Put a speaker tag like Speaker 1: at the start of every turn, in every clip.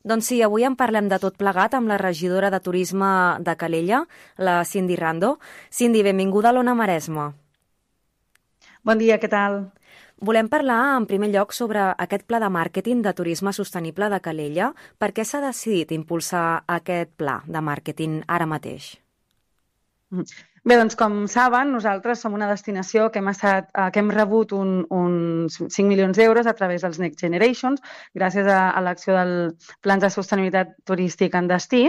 Speaker 1: Doncs sí, avui en parlem de tot plegat amb la regidora de Turisme de Calella, la Cindy Rando. Cindy, benvinguda a l'Ona Maresme.
Speaker 2: Bon dia, què tal?
Speaker 1: Volem parlar en primer lloc sobre aquest pla de màrqueting de turisme sostenible de Calella. Per què s'ha decidit impulsar aquest pla de màrqueting ara mateix?
Speaker 2: Bé, doncs com saben, nosaltres som una destinació que hem rebut uns 5 milions d'euros a través dels Next Generations, gràcies a l'acció del Plans de Sostenibilitat Turístic en Destí.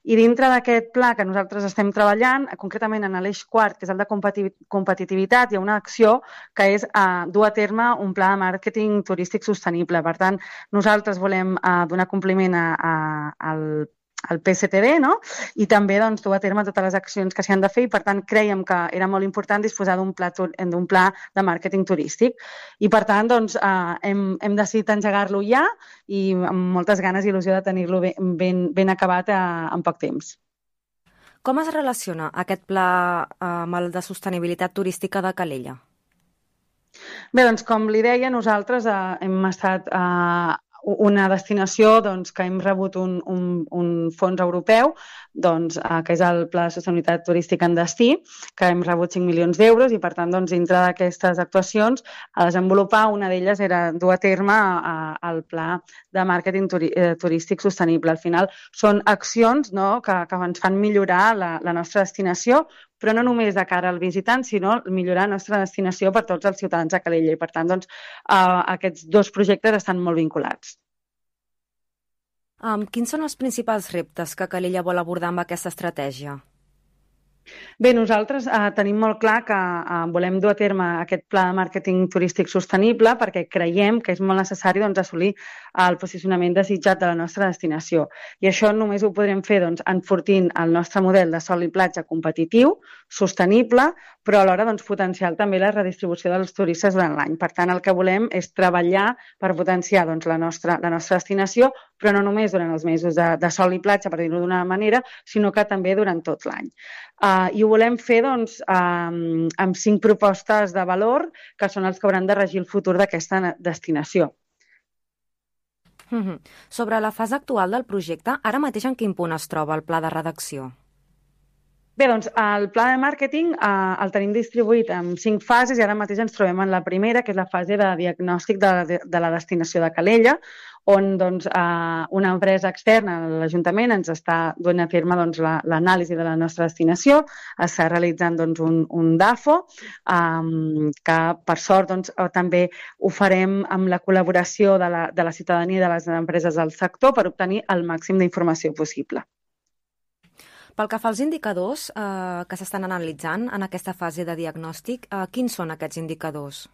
Speaker 2: I dintre d'aquest pla que nosaltres estem treballant, concretament en l'eix quart, que és el de competitivitat, hi ha una acció que és dur a terme un pla de màrqueting turístic sostenible. Per tant, nosaltres volem donar compliment al PSTD, no? I també doncs, dur a terme totes les accions que s'hi han de fer i, per tant, creiem que era molt important disposar d'un pla de màrqueting turístic. I, per tant, doncs, hem decidit engegar-lo ja i amb moltes ganes i il·lusió de tenir-lo ben acabat en poc temps.
Speaker 1: Com es relaciona aquest pla amb el de sostenibilitat turística de Calella?
Speaker 2: Bé, doncs, com li deia, nosaltres hem estat una destinació doncs, que hem rebut un fons europeu, doncs, que és el Pla de Sostenibilitat Turística en Destí, que hem rebut 5 milions d'euros i, per tant, doncs, dintre d'aquestes actuacions, a desenvolupar, una d'elles era dur a terme el Pla de Màrqueting Turístic Sostenible. Al final, són accions, no?, que ens fan millorar la nostra destinació, però no només de cara al visitant, sinó millorar la nostra destinació per tots els ciutadans de Calella. I, per tant, doncs, aquests dos projectes estan molt vinculats.
Speaker 1: Quins són els principals reptes que Calella vol abordar amb aquesta estratègia?
Speaker 2: Bé, nosaltres tenim molt clar que volem dur a terme aquest pla de màrqueting turístic sostenible perquè creiem que és molt necessari doncs, assolir el posicionament desitjat de la nostra destinació. I això només ho podrem fer doncs, enfortint el nostre model de sol i platja competitiu, sostenible, però alhora doncs, potenciar també la redistribució dels turistes durant l'any. Per tant, el que volem és treballar per potenciar doncs, la nostra destinació, però no només durant els mesos de sol i platja, per dir-ho d'una manera, sinó que també durant tot l'any. I ho volem fer doncs, amb 5 propostes de valor que són els que hauran de regir el futur d'aquesta destinació.
Speaker 1: Sobre la fase actual del projecte, ara mateix en quin punt es troba el pla de redacció?
Speaker 2: Bé, doncs el pla de màrqueting el tenim distribuït en 5 fases i ara mateix ens trobem en la primera, que és la fase de diagnòstic de la destinació de Calella, on doncs, una empresa externa, l'Ajuntament, ens està duent a terme doncs, l'anàlisi de la nostra destinació, està realitzant doncs, un DAFO, que per sort doncs, també ho farem amb la col·laboració de la ciutadania i de les empreses del sector per obtenir el màxim d'informació possible.
Speaker 1: Pel que fa als indicadors que s'estan analitzant en aquesta fase de diagnòstic, quins són aquests indicadors?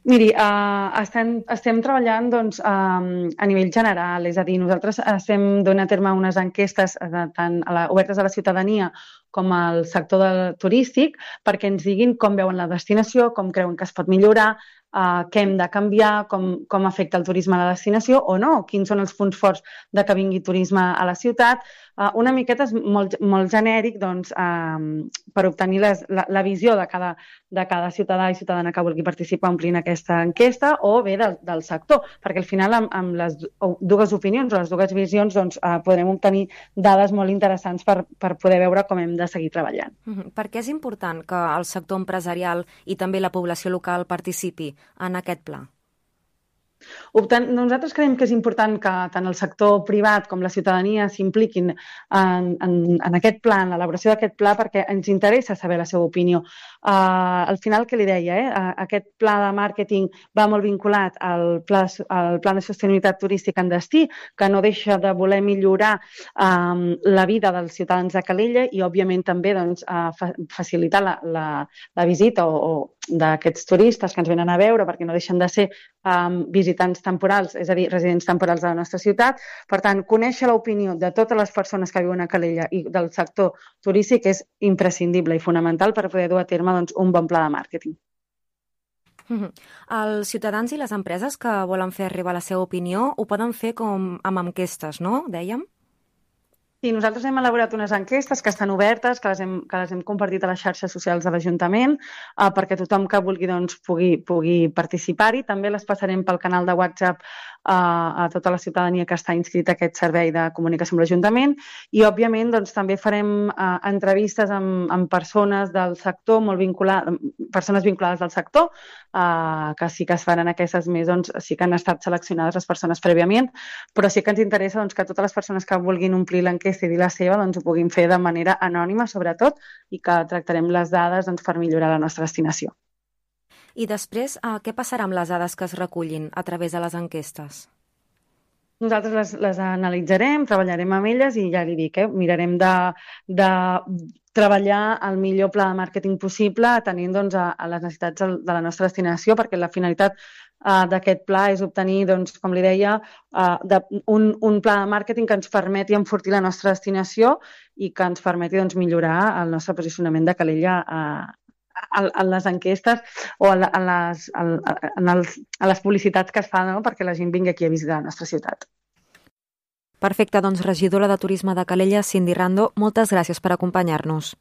Speaker 2: Miri, estem treballant doncs, a nivell general, és a dir, nosaltres estem donant a terme unes enquestes tant obertes a la ciutadania com al sector turístic perquè ens diguin com veuen la destinació, com creuen que es pot millorar, què hem de canviar, com afecta el turisme a la destinació o no, quins són els punts forts de que vingui turisme a la ciutat. Una miqueta és molt genèric doncs, per obtenir la visió de cada ciutadà i ciutadana que vulgui participar omplint aquesta enquesta o bé del sector, perquè al final amb les dues opinions o les dues visions doncs, podrem obtenir dades molt interessants per poder veure com hem de seguir treballant.
Speaker 1: Per què és important que el sector empresarial i també la població local participi en aquest pla?
Speaker 2: Nosaltres creiem que és important que tant el sector privat com la ciutadania s'impliquin en aquest pla, en l'elaboració d'aquest pla, perquè ens interessa saber la seva opinió. Al final, què li deia? Aquest pla de màrqueting va molt vinculat al pla de sostenibilitat turística en destí, que no deixa de voler millorar la vida dels ciutadans de Calella i, òbviament, també doncs, facilitar la visita o d'aquests turistes que ens venen a veure, perquè no deixen de ser visitants temporals, és a dir, residents temporals de la nostra ciutat. Per tant, conèixer l'opinió de totes les persones que viuen a Calella i del sector turístic és imprescindible i fonamental per poder dur a terme doncs, un bon pla de màrqueting.
Speaker 1: Els ciutadans i les empreses que volen fer arribar la seva opinió ho poden fer com amb enquestes, no? Dèiem?
Speaker 2: Sí, nosaltres hem elaborat unes enquestes que estan obertes, que les hem compartit a les xarxes socials de l'Ajuntament, perquè tothom que vulgui doncs, pugui participar-hi. També les passarem pel canal de WhatsApp a tota la ciutadania que està inscrita a aquest servei de comunicació amb l'Ajuntament i, òbviament, doncs, també farem entrevistes amb persones del sector, persones vinculades al sector, que sí que es faran aquestes més, doncs, sí que han estat seleccionades les persones prèviament, però sí que ens interessa doncs, que totes les persones que vulguin omplir l'enquesta i dir la seva doncs, ho puguin fer de manera anònima, sobretot, i que tractarem les dades doncs, per millorar la nostra destinació.
Speaker 1: I després, què passarà amb les dades que es recullin a través de les enquestes?
Speaker 2: Nosaltres les analitzarem, treballarem amb elles i ja li dic, mirarem de treballar el millor pla de màrqueting possible atenint doncs, a les necessitats de la nostra destinació, perquè la finalitat d'aquest pla és obtenir, doncs, com li deia, un pla de màrqueting que ens permeti enfortir la nostra destinació i que ens permeti doncs, millorar el nostre posicionament de Calella a les enquestes o a les publicitats que es fan, no? Perquè la gent vingui aquí a visitar la nostra ciutat.
Speaker 1: Perfecte, doncs regidora de Turisme de Calella, Cindy Rando, moltes gràcies per acompanyar-nos.